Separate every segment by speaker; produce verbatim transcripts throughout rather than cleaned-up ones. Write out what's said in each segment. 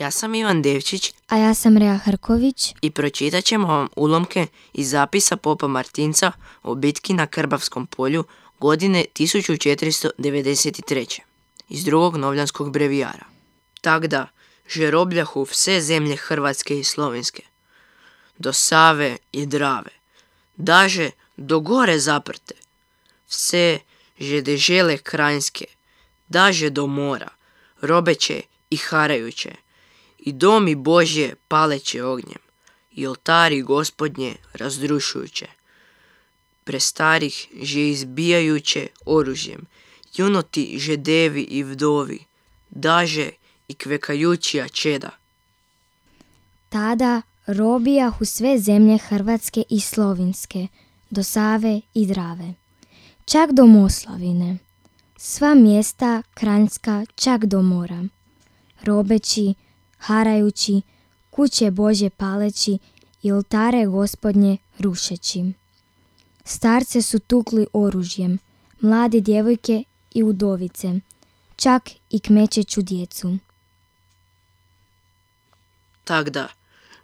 Speaker 1: Ja sam Ivan Devčić.
Speaker 2: A ja sam Rea Hrković.
Speaker 1: I pročitat ćemo vam ulomke iz zapisa popa Martinca o bitki na Krbavskom polju godine tisuću četiristo devedeset treće. iz drugog novljanskog brevijara. Tak da, žerobljahu vse zemlje Hrvatske i Slovenske, do Save i Drave, daže do gore zaprte, vse žedežele krajinske, daže do mora, robeće i harajuće, i domi Božje paleće ognjem, i oltari Gospodnje razdrušujuće, prestarih že izbijajuće oružjem, junoti žedevi i vdovi, daže i kvekajućija čeda.
Speaker 2: Tada robijahu sve zemlje Hrvatske i Slovinske, do Save i Drave, čak do Moslavine, sva mjesta Kranjska čak do mora, robeći, harajući, kuće Božje paleći i oltare Gospodnje rušeći. Starce su tukli oružjem, mlade djevojke i udovice, čak i kmećeću djecu.
Speaker 1: Tak da,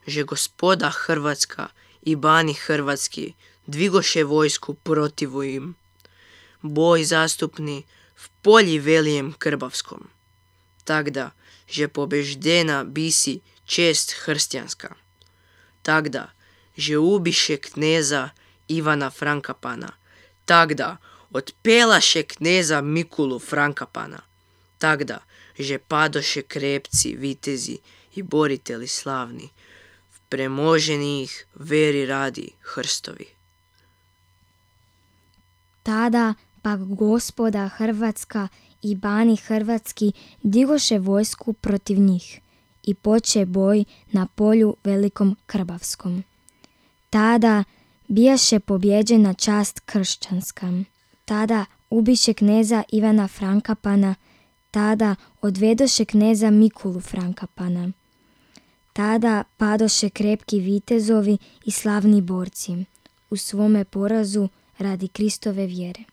Speaker 1: že gospoda Hrvatska i bani Hrvatski dvigoše vojsku protivu im. Boj zastupni v polji velijem Krbavskom. Tak da, že pobeždena bisi čest hrstjanska. Tak da, že ubiše kneza Ivana Frankapana. Tak da, otpelaše kneza Mikulu Frankapana. Tak da, že padoše krepci, vitezi i boriteli slavni, v premoženih veri radi hrstovi.
Speaker 2: Tada pak gospoda Hrvatska i bani Hrvatski digoše vojsku protiv njih i poče boj na polju velikom Krbavskom. Tada bijaše pobjeđena čast kršćanska. Tada ubiše kneza Ivana Frankapana. Tada odvedoše kneza Mikulu Frankapana. Tada padoše krepki vitezovi i slavni borci u svome porazu radi Kristove vjere.